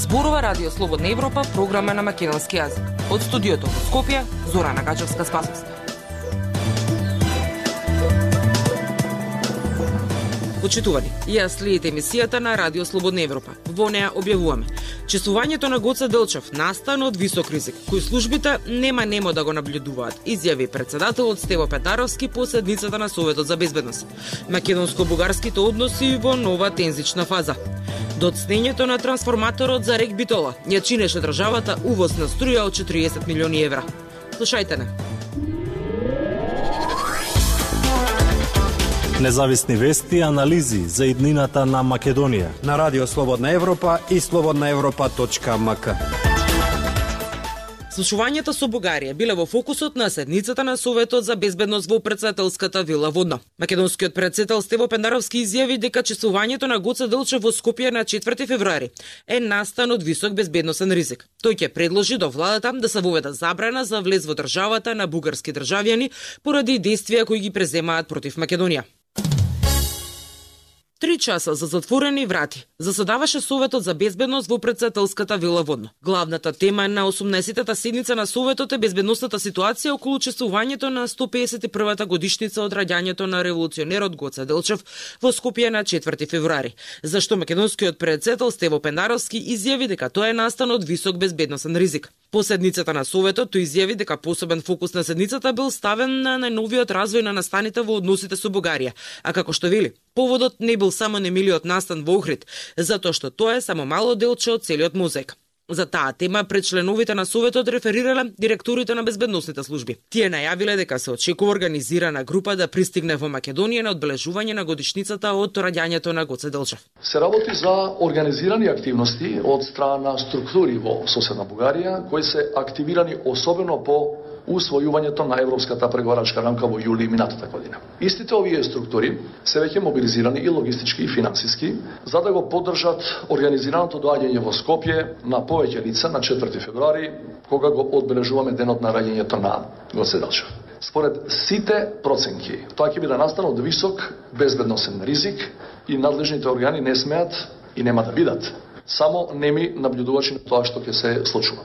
Зборува Радио Слободна Европа, програма на македонски јазик. Од студиото во Скопје, Зорана Гачевска-Спасовска. Почитувани, ја следите емисијата на Радио Слободна Европа. Во неа објавуваме: чествувањето на Гоце Делчев настана од висок ризик, кој службите нема да го наблюдуваат, изјави председателот Стево Петаровски по седницата на Советот за безбедност. Македонско-бугарските односи во нова тензична фаза. Доцнењето на трансформаторот за РЕК Битола ја чинеше државата увоз на струја од 40 милиони евра. Слушајте не. Независни вести и анализи за иднината на Македонија на Радио Слободна Европа и slobodnaevropa.mk. Слушувањето со Бугарија биле во фокусот на седницата на Советот за безбедност во претседателската вила Водно. Македонскиот претседател Стево Пендаровски изјави дека чествувањето на Гоце Делчев во Скопје на 4 февруари е настан од висок безбедносен ризик. Тој ќе предложи до владата да се воведе забрана за влез во државата на бугарски државјани поради действија кои ги преземаат против Македонија. 3 часа за затворени врати заседаваше Советот за безбедност во претседателската вила Водно. Главната тема на 18-та седница на Советот е безбедносната ситуација околу чествувањето на 151-та годишница од раѓањето на револуционерот Гоце Делчев во Скопје на 4 февруари, зашто македонскиот председател Стево Пендаровски изјави дека тоа е настан од висок безбедносен ризик. По седницата на Советот тој изјави дека посебен фокус на седницата бил ставен на најновиот развој на настаните во односите со Бугарија, а како што вели, поводот не бил само немилиот настан во Охрид, затоа што тоа е само мало делче од целиот мозаик. За таа тема пред членовите на Советот реферирале директорите на безбедносните служби. Тие најавиле дека се очекува организирана група да пристигне во Македонија на одбележување на годишницата од раѓањето на Гоце Делчев. Се работи за организирани активности од страна на структури во соседна Бугарија, кои се активирани особено по усвојувањето на европската преговарачка рамка во јули минатата година. Истите овие структури се веќе мобилизирани и логистички и финансиски за да го поддржат организираното доаѓање во Скопје на повеќе лица на 4 февруари, кога го одбележуваме денот на раѓањето на Гоце Делчев. Според сите проценки, тоа ќе биде настан од висок безбедносен ризик и надлежните органи не смеат и нема да бидат само неми наблюдувачи на тоа што ќе се случува.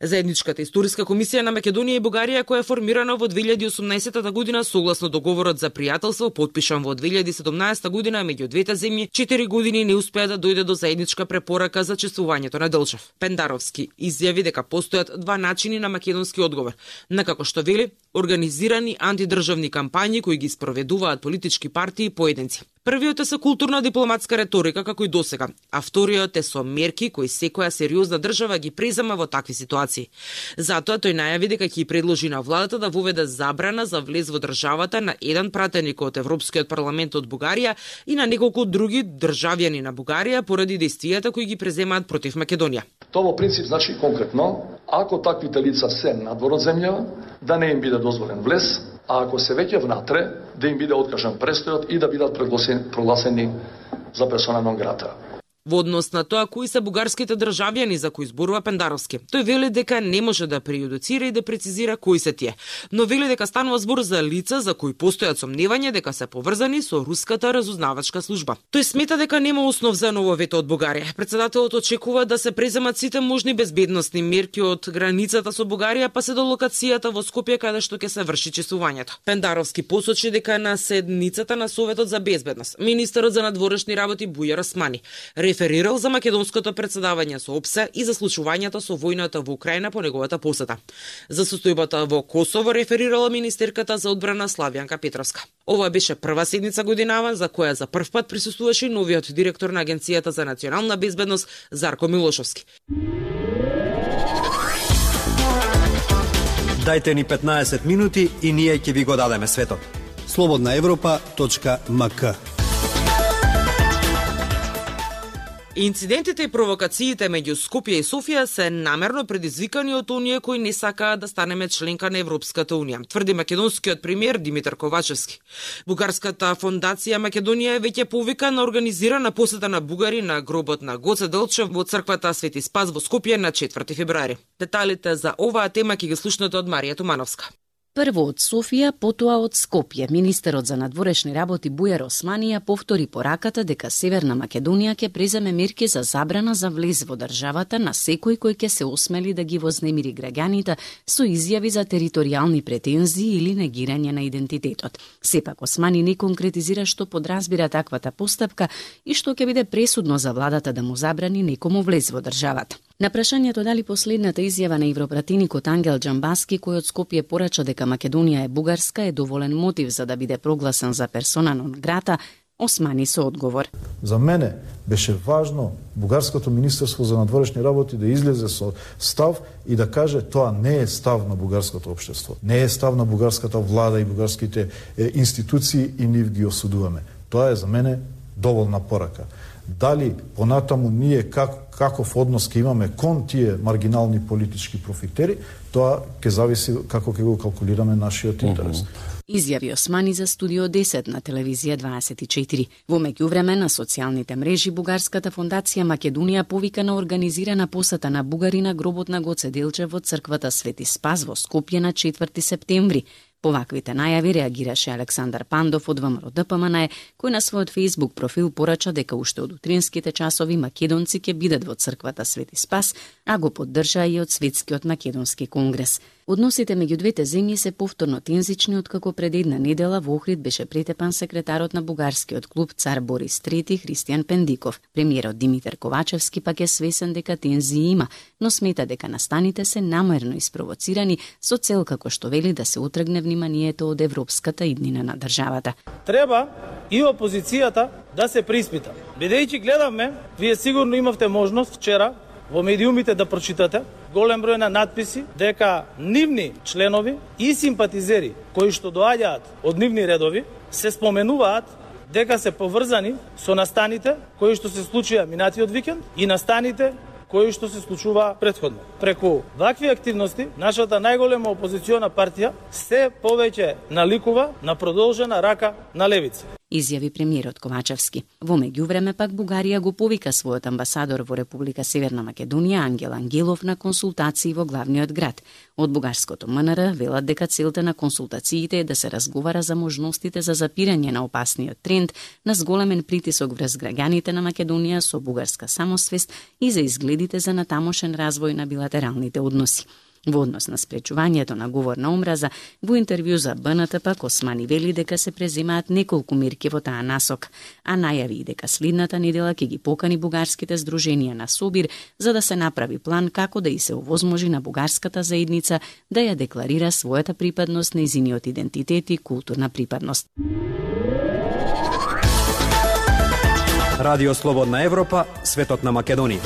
Заедничката историска комисија на Македонија и Бугарија, која е формирана во 2018 година согласно договорот за пријателство подпишан во 2017 година меѓу двете земји, 4 години не успеа да дојде до заедничка препорака за чествувањето на Делчев. Пендаровски изјави дека постојат два начини на македонски одговор, на како што вели, организирани антидржавни кампањи кои ги спроведуваат политички партии и поединци. Првиот е со културна дипломатска реторика како и досега, а вториот е со мерки кои секоја сериозна држава ги презема во такви ситуации. Затоа тој најави дека ќе предложи на владата да воведе забрана за влез во државата на еден пратеник од Европскиот парламент од Бугарија и на неколку други државјани на Бугарија поради действијата кои ги преземаат против Македонија. Тоа во принцип значи конкретно, ако таквите лица се надвор од земја, да не им биде дозволен влез, а ако се веќе внатре, да им биде откажан престојот и да бидат прогласени за персона нон грата. Во однос на тоа кои се бугарските државјани за кои зборува Пендаровски, тој вели дека не може да прејудицира и да прецизира кои се тие, но вели дека станува збор за лица за кои постојат сомневања дека се поврзани со руската разузнавачка служба. Тој смета дека нема основ за ново вето од Бугарија. Председателот очекува да се преземат сите можни безбедносни мерки од границата со Бугарија па се до локацијата во Скопје каде што ќе се врши чествувањето. Пендаровски посочи дека на седницата на Советот за безбедност министерот за надворешни работи Бујар Османи реферирал за македонското претседавање со ОПСЕ и за случувањето со војната во Украина по неговата посета. За состојбата во Косово реферирала министерката за одбрана Славјанка Петровска. Ова беше прва седница годинава за која за прв пат присуствуваше новиот директор на Агенцијата за национална безбедност Зарко Милошовски. Дајте ни 15 минути и ние ќе ви го дадеме светот. slobodnaevropa.mk. Инцидентите и провокациите меѓу Скопје и Софија се намерно предизвикани од оние кои не сакаат да станеме членка на Европската унија, тврди македонскиот премиер Димитар Ковачевски. Бугарската фондација Македонија е веќе повика на организирана посета на бугари на гробот на Гоце Делчев во црквата Свети Спас во Скопје на 4 февруари. Деталите за оваа тема ќе ги слушнете од Марија Тумановска. Прво од Софија, потоа од Скопје. Министерот за надворешни работи Бујар Османи ја повтори пораката дека Северна Македонија ќе преземе мерки за забрана за влез во државата на секој кој ќе се осмели да ги вознемири граѓаните со изјави за територијални претензии или негирање на идентитетот. Сепак Османи не конкретизира што подразбира таквата постапка и што ќе биде пресудно за владата да му забрани некому влез во државата. На прашањето дали последната изјава на европратеникот Ангел Џамбаски, кој од Скопје порача дека Македонија е бугарска, е доволен мотив за да биде прогласен за персона нон грата, Османи со одговор. За мене беше важно Бугарското министерство за надворешни работи да излезе со став и да каже тоа не е став на бугарското општество, не е став на бугарската влада и бугарските институции и нив ги осудуваме. Тоа е за мене доволна порака. Дали понатаму ние каков однос ќе имаме кон тие маргинални политички профитери, тоа ќе зависи како ќе го калкулираме нашиот интерес. Изјави Османи за Студио 10 на телевизија 24. Во меѓувреме на социјалните мрежи Бугарската фондација Македонија повика на организирана посета на бугари на гробот на Гоце Делчев во црквата Свети Спас во Скопје на 4 септември. По ваквите најави реагираше Александар Пандов од ВМРО-ДПМН, кој на својот Facebook профил порача дека уште од утринските часови македонци ќе бидат во црквата Свети Спас, а го поддржа и од Светскиот македонски конгрес. Односите меѓу двете земји се повторно тензични откако пред една недела во Охрид беше претепан секретарот на бугарскиот клуб Цар Борис III Христијан Пендиков. Премиерот Димитар Ковачевски пак е свесен дека тензии има, но смета дека настаните се намерно испровоцирани со цел како што вели да се отргне вниманието од европската иднина на државата. Треба и опозицијата да се приспита. Бидејќи гледаме, вие сигурно имавте можност вчера во медиумите да прочитате голем број на надписи дека нивни членови и симпатизери кои што доаѓаат од нивни редови се споменуваат дека се поврзани со настаните кои што се случија минатиот викенд и настаните кои што се случува претходно. Преку вакви активности, нашата најголема опозициона партија се повеќе наликува на продолжена рака на левица. Изјави премиерот Ковачевски. Во меѓувреме пак Бугарија го повика својот амбасадор во Република Северна Македонија Ангел Ангелов на консултации во главниот град. Од бугарското МНР велат дека целта на консултациите е да се разговара за можностите за запирање на опасниот тренд на зголемен притисок врз граѓаните на Македонија со бугарска самосвест и за изгледите за натамошен развој на билатералните односи. Во однос на спречувањето на говор на омраза, во интервју за БНТ пак Османи вели дека се преземаат неколку мерки во таа насок, а најави дека следната недела ќе ги покани бугарските здруженија на Собир за да се направи план како да и се овозможи на бугарската заедница да ја декларира својата припадност, нејзиниот идентитет и културна припадност. Радио Слободна Европа, светот на Македонија.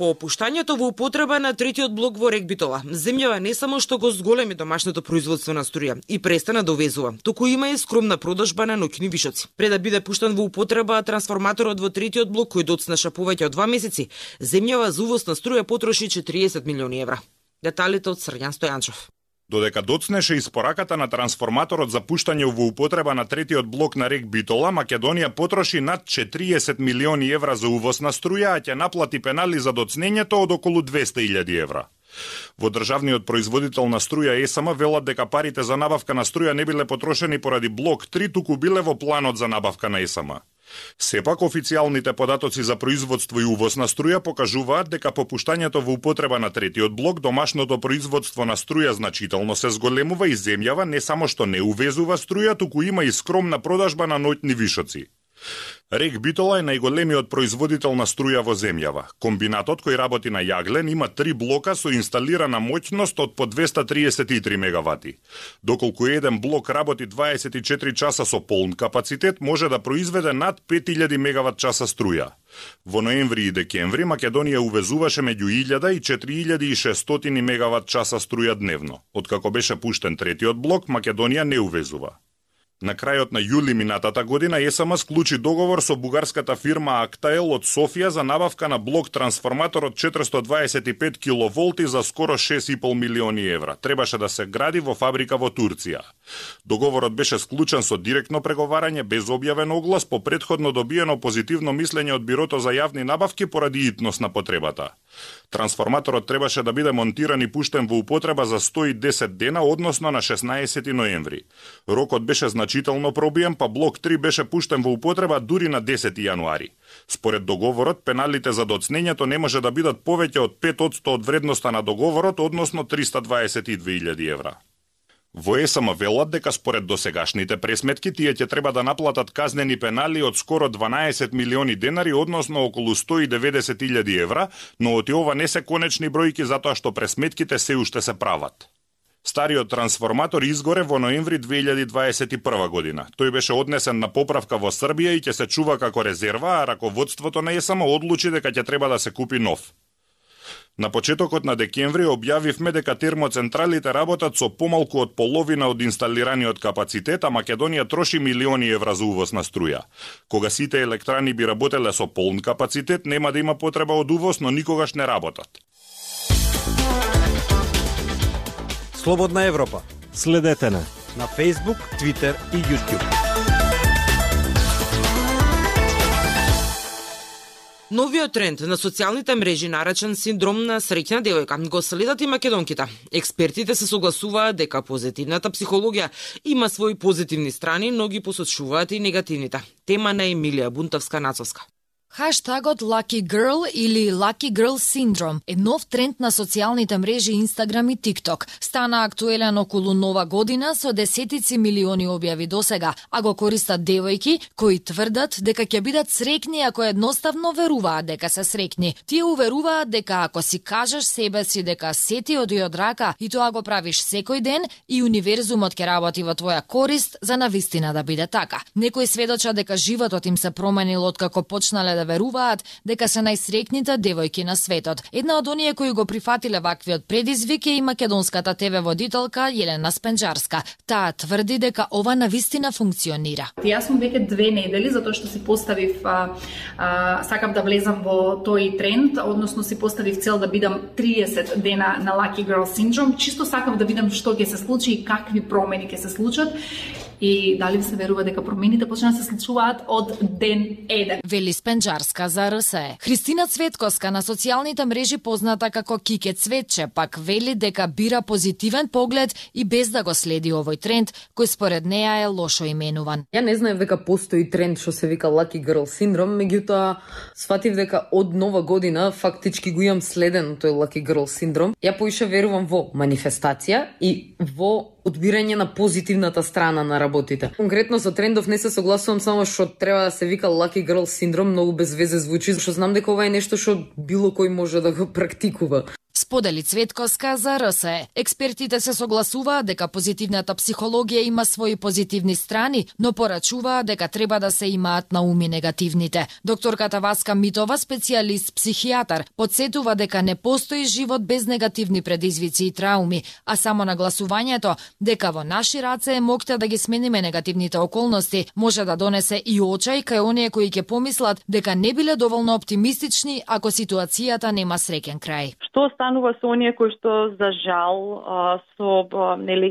По опуштањето во употреба на третиот блок во Рек Битола, земјава не само што го зголеми домашното производство на струја и престана да увезува, туку има и скромна продажба на ноќни вишоци. Пред да биде пуштан во употреба трансформаторот во третиот блок кој доцнеша повеќе од 2 месеци, земјава за увоз на струја потроши 40 милиони евра. Деталите од Срѓан Стојанчов. Додека доцнеше испораката на трансформаторот за пуштање во употреба на третиот блок на Рек Битола, Македонија потроши над 40 милиони евра за увоз на струја, а ќе наплати пенали за доцнењето од околу 200.000 евра. Во државниот производител на струја ЕСМ велат дека парите за набавка на струја не биле потрошени поради блок 3, туку биле во планот за набавка на ЕСМ. Сепак, официјалните податоци за производство и увоз на струја покажуваат дека по пуштањето во употреба на третиот блок, домашното производство на струја значително се зголемува и земјава не само што не увезува струја, туку има и скромна продажба на ноќни вишоци. Рек Битола е најголемиот производител на струја во земјава. Комбинатот кој работи на јаглен има 3 блока со инсталирана моќност од по 233 мегавати. Доколку еден блок работи 24 часа со полн капацитет, може да произведе над 5000 мегават часа струја. Во ноември и декември Македонија увезуваше меѓу 1000 и 4600 мегават часа струја дневно. Откако беше пуштен третиот блок, Македонија не увезува. На крајот на јули минатата година ЕСМ склучи договор со бугарската фирма Актаел од Софија за набавка на блок трансформатор од 425 киловолти за скоро 6,5 милиони евра. Требаше да се гради во фабрика во Турција. Договорот беше склучен со директно преговарање без објавен оглас по претходно добиено позитивно мислење од Бирото за јавни набавки поради итност на потребата. Трансформаторот требаше да биде монтиран и пуштен во употреба за 110 дена, односно на 16 ноември. Рокот беше значително пробиен, па блок 3 беше пуштен во употреба дури на 10 јануари. Според договорот, пеналите за доцнењето не може да бидат повеќе од 5% од вредноста на договорот, односно 322.000 евра. Во ЕСМ велат дека според досегашните пресметки тие ќе треба да наплатат казнени пенали од скоро 12 милиони денари, односно околу 190.000 евра, но оти ова не се конечни бројки затоа што пресметките се уште се прават. Стариот трансформатор изгоре во ноември 2021 година. Тој беше однесен на поправка во Србија и ќе се чува како резерва, а раководството на ЕСМ одлучи дека ќе треба да се купи нов. На почетокот на декември објавивме дека термоцентралите работат со помалку од половина од инсталираниот капацитет, а Македонија троши милиони евра за увоз на струја. Кога сите електрани би работеле со полн капацитет, нема да има потреба од увоз, но никогаш не работат. Слободна Европа. Следете на Facebook, Twitter и YouTube. Новиот тренд на социјалните мрежи наречен синдром на среќна девојка го следат и македонките. Експертите се согласуваат дека позитивната психологија има своји позитивни страни, но ги посочуваат и негативните. Тема на Емилија Бунтовска-Нацовска. Хаштагот Lucky Girl или Lucky Girl Syndrome е нов тренд на социјалните мрежи Instagram и TikTok. Стана актуелен околу Нова година со десетици милиони објави досега, а го користат девојки кои тврдат дека ќе бидат среќни ако едноставно веруваат дека се среќни. Тие уверуваат дека ако си кажеш себе си дека се ти оди од рака и тоа го правиш секој ден, и универзумот ќе работи во твоја корист за навистина да биде така. Некои сведочат дека животот им се променил откако почнале да веруваат дека се најсреќните девојки на светот. Една од оние кои го прифатиле ваквиот предизвик е и македонската ТВ водителка Јелена Спенџарска. Таа тврди дека ова навистина функционира. Јас сум веќе 2 недели затоа што си поставив сакав да влезам во тој тренд, односно си поставив цел да бидам 30 дена на Lucky Girl Syndrome. Чисто сакав да видам што ќе се случи и какви промени ќе се случат. И дали се верува дека промените почнаа да се случуваат од ден 1. Вели Спенџарска за РСЕ. Христина Цветковска на социјалните мрежи позната како Кике Цветче пак вели дека бира позитивен поглед и без да го следи овој тренд кој според неа е лошо именуван. Ја не знаев дека постои тренд што се вика Lucky Girl Syndrome, меѓутоа сватив дека од Нова година фактички го имам следен тој Lucky Girl Syndrome. Ја поише верувам во манифестација и во одбирање на позитивната страна на работите. Конкретно со трендов не се согласувам, само што треба да се вика Lucky Girl Syndrome, многу без везе звучи, што знам дека ова е нешто што било кој може да го практикува. Сподели Цветковска за РСЕ. Експертите се согласуваат дека позитивната психологија има своји позитивни страни, но порачуваат дека треба да се имаат на уми негативните. Докторката Васка Митова, специјалист психијатар, подсетува дека не постои живот без негативни предизвици и трауми, а само нагласувањето дека во наши раце е моќта да ги смениме негативните околности може да донесе и очај кај оние кои ќе помислат дека не биле доволно оптимистични ако ситуацијата нема среќен крај. Што станува со оние кои што за жал со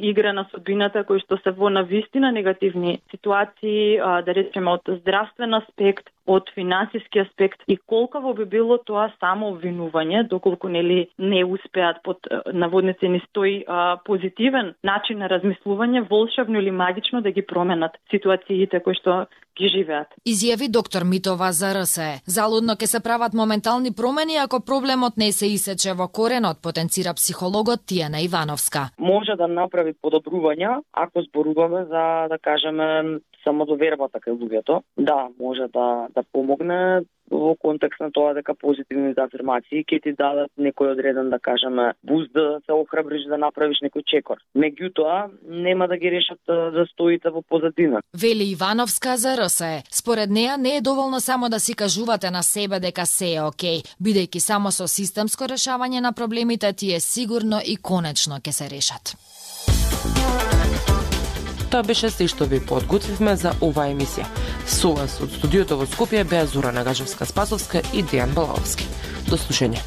игра на судбината, кои што се во навистина негативни ситуации, да речеме од здравствен аспект, од финансиски аспект, и колкаво би било тоа само обвинување, доколку не успеат под наводници ни стои позитивен начин на размислување, волшебно или магично да ги променат ситуациите кои што ги живеат. Изјави доктор Митова за РСЕ. Залудно ќе се прават моментални промени ако проблемот не се исече во коренот, потенцира психологот Тијана Ивановска. Може да направи подобрувања ако зборуваме за, да кажеме, самодовербата кај луѓето. Да, може да помогне во контекст на тоа дека позитивните афирмации ќе ти дадат некој одреден, да кажеме, буст да се охрабриш да направиш некој чекор. Меѓутоа, нема да ги решат застоите во позадина. Вели Ивановска за РСЕ. Според неа не е доволно само да си кажувате на себе дека се е окей, бидејќи само со системско решавање на проблемите тие сигурно и конечно ќе се решат. Тоа беше се што ви подготвивме за оваа емисија. Со вас од студиото во Скопје беа Зора Нагажевска-Спасовска и Дејан Балаовски. До слушање.